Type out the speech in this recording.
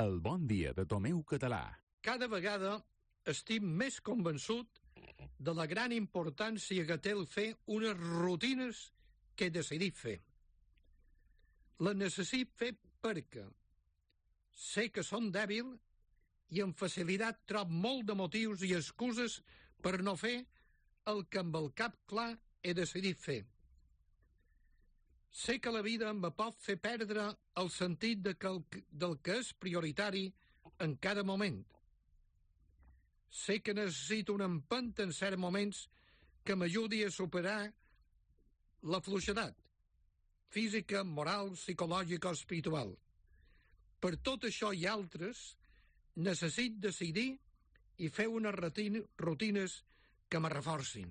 El bon dia de Tomeu Català. Cada vegada estic més convençut de la gran importància que té el fer unes rutines que he decidit fer. Les necessito fer perquè sé que són dèbil i amb facilitat trob molt de motius i excuses per no fer el que amb el cap clar he decidit fer. Sé que la vida em pot fer perdre el sentit del que és prioritari en cada moment. Sé que necessito una empenta en certs moments que m'ajudi a superar la fluixedat física, moral, psicològica o espiritual. Per tot això i altres, necessito decidir i fer unes rutines que me reforcin.